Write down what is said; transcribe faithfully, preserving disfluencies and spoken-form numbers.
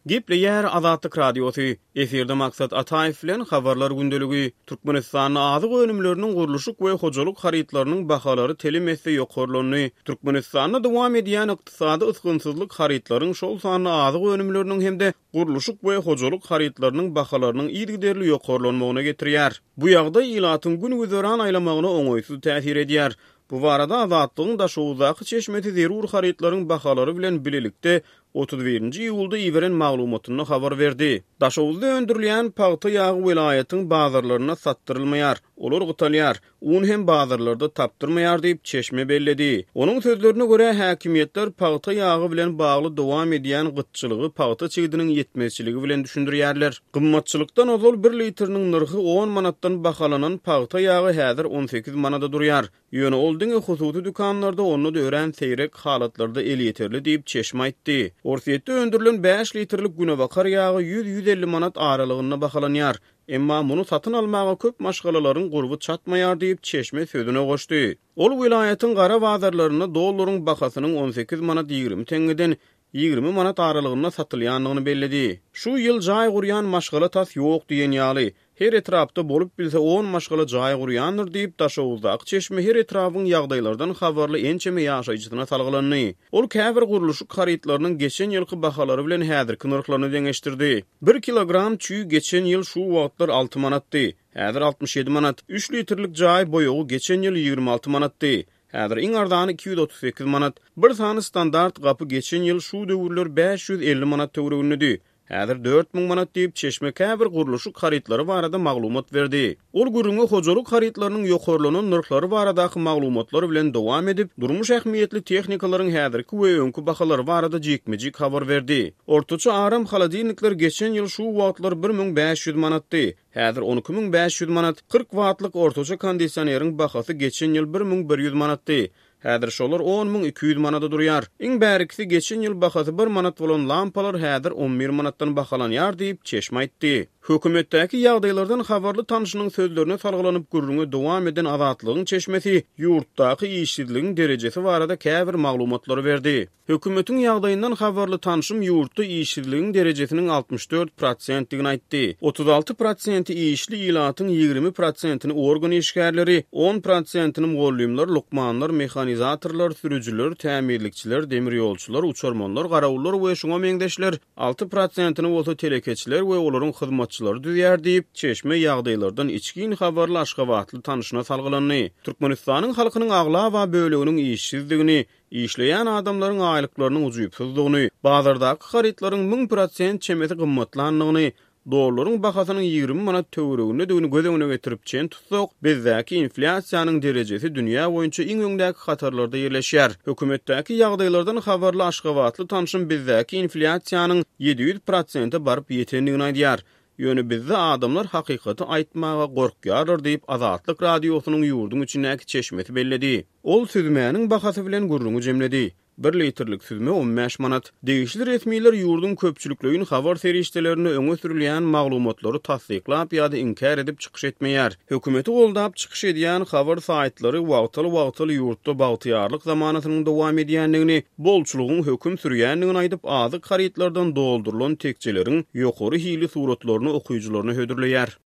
Gepleýär Azatlyk Radiosy, Efirde Maksat Ataýew bilen Habarlar gündeligi. Türkmenistanda azyk önümleriniň, gurluşyk we hojalyk harytlarynyň bahalary telim esse ýokarlandy. Türkmenistanda dowam edýän ykdysady ysgynsyzlyk harytlaryň, şol sanda azyk önümleriniň hem-de gurluşyk we hojalyk harytlarynyň bahalarynyň yzygiderli ýokarlanmagyna getirýär. Bu ýagdaý ilatyň gün-güzeran aýlamagyna oňaýsyz täsir edýär. Bu barada Azatlygyň Daşoguzdaky çeşmesi zerur harytlaryň bahalary bilen bilelikde otuz birinji iýulda iberen maglumatynda habar berdi. Daşoguzda öndürilýän pagta ýagy welaýatyň bazarlarynda satdyrylmaýar, olar gytalýar, un hem bazarlarda tapdyrmaýar diýip, çeşme belledi. Onuň sözlerine görä, häkimiýetler pagta ýagy bilen bagly dowam edýän gytçylygy pagta çigidiniň ýetmezçiligi bilen düşündirýärler. Gymmatçylykdan ozal bir litriniň nyrhy on manatdan bahalanan pagta ýagy häzir on sekiz manada durýar. Ýöne ol diňe hususy dükanlarda, onda-da örän seýrek halatlarda elýeterli diýip, çeşme aýtdy. Orsýetde öndürilen bäş litrlik günebakar ýagy ýüz-ýüz elli manat aralygynda bahalanýar. Emma muny satyn almaga köp maşgalalaryň gurby çatmaýar diýip, çeşme sözüne goşdy. Ol welaýatyň gara bazarlarynda dollaryň bahasynyň on sekiz manat ýigrimi teňňeden ýigrimi manat aralygynda satylýandygyny belledi. Şu ýyl jaý gurýan maşgala tas ýok diýen ýaly. Her etrapda bolup bilse on maşgala jaý gurýandyr diýip, Daşoguzdaky çeşme her etrabyň ýagdaýlardan habarly ençeme ýaşaýjysyna salgylandy. Ol käbir gurluşyk harytlarynyň geçen ýylky bahalary bilen häzirki nyrhlaryny deňeşdirdi. Bir kilogram çüý geçen ýyl şu wagtlar alty manatdy, häzir altmyş ýedi manat. Üç litrlik jaý boýagy geçen ýyl ýigrimi alty manatdy, häzir iň arzany iki ýüz otuz sekiz manat. Bir sany standart gapy geçen ýyl şu döwürler bäş ýüz elli manat töweregindedi, häzir dört müň manat diýip, çeşme käbir gurluşyk harytlary barada maglumat berdi. Ol gürrüňi hojalyk harytlarynyň ýokarlanan nyrhlary baradaky maglumatlar bilen dowam edip, durmuş ähmiýetli tehnikalaryň häzirki we öňki bahalary barada jikme-jik habar berdi. Ortaça aram holodilnikler geçen ýyl şu wagtlar bir müň bäş ýüz manatdy, häzir on iki müň bäş ýüz manat. Kyrk wattlyk ortaça kondisioneриň bahasy geçen ýyl bir müň bir ýüz manatdy, häzir şolar on müň iki ýüz manada durýar. Iň bärikisi geçen ýyl bahasy bir manat bolan lampalar häzir on bir manatdan bahalanýar diýip, çeşme aýtdy. Hökümetdäki ýagdaýlardan habarly tanşynyň sözlerine salgylanyp gürrüňe dowam eden Azatlygyň çeşmesi ýurtdaky işsizligiň derejesi barada käbir maglumatlary berdi. Hökümetiň ýagdaýyndan habarly tanşym ýurtda işsizligiň derejesiniň altmyş dört prosentdigini aýtdy. Otuz alty prosenti işli ilatyň ýigrimi prosentini organ işgärleri, on prosentini mugallymlar, lukmanlar, mehanizatorlar, sürüjiler, tämirlikçiler, demirýolçular, uçarmanlar, garawullar we şuňa meňzeşler, alty prosentini bolsa telekeçiler we olaryň hyzmatçylary düzýär diýip, çeşme ýagdaýlardan içgin habarly Aşgabatly tanşyna salgylandy. Türkmenistanyň halkynyň aglaba böleginiň işsizdigini, işleýän adamlaryň aýlyklarynyň ujypsyzdygyny, bazardaky harytlaryň müň prosent çemesi gymmatlandygyny, dollaryň bahasynyň ýigrimi manat töweregindedigini göz öňüne getirip çen tutsak, bizdäki inflýasiýanyň derejesi dünýä boýunça iň öňdäki hatarlarda ýerleşýär. Hökümetdäki ýagdaýlardan habarly Aşgabatly tanşym bizdäki inflýasiýanyň ýedi ýüz prosente baryp ýetendigini aýdýar. Ýöne bizde adamlar hakykaty aýtmaga gorkýarlar diýip, Azatlyk Radiosynyň ýurduň içindäki çeşmesi belledi. Ol süzmäniň bahasy bilen gürrüňi jemledi. Bir litrlik süzme on bäş manat. Degişli resmiler ýurduň köpçülikleýin habar serişdelerinde öňe sürülýän maglumatlary tassyklap ýa-da inkär edip çykyş etmeýär. Hökümeti goldap çykyş edýän habar saýtlary wagtal-wagtal ýurtda bagtyýarlyk zamanasynyň dowam edýändigini, bolçulygyň höküm sürýändigini aýdyp, azyk harytlardan doldurylan tekjeleriň ýokary hili suratlaryny okyjylaryna hödürleýär.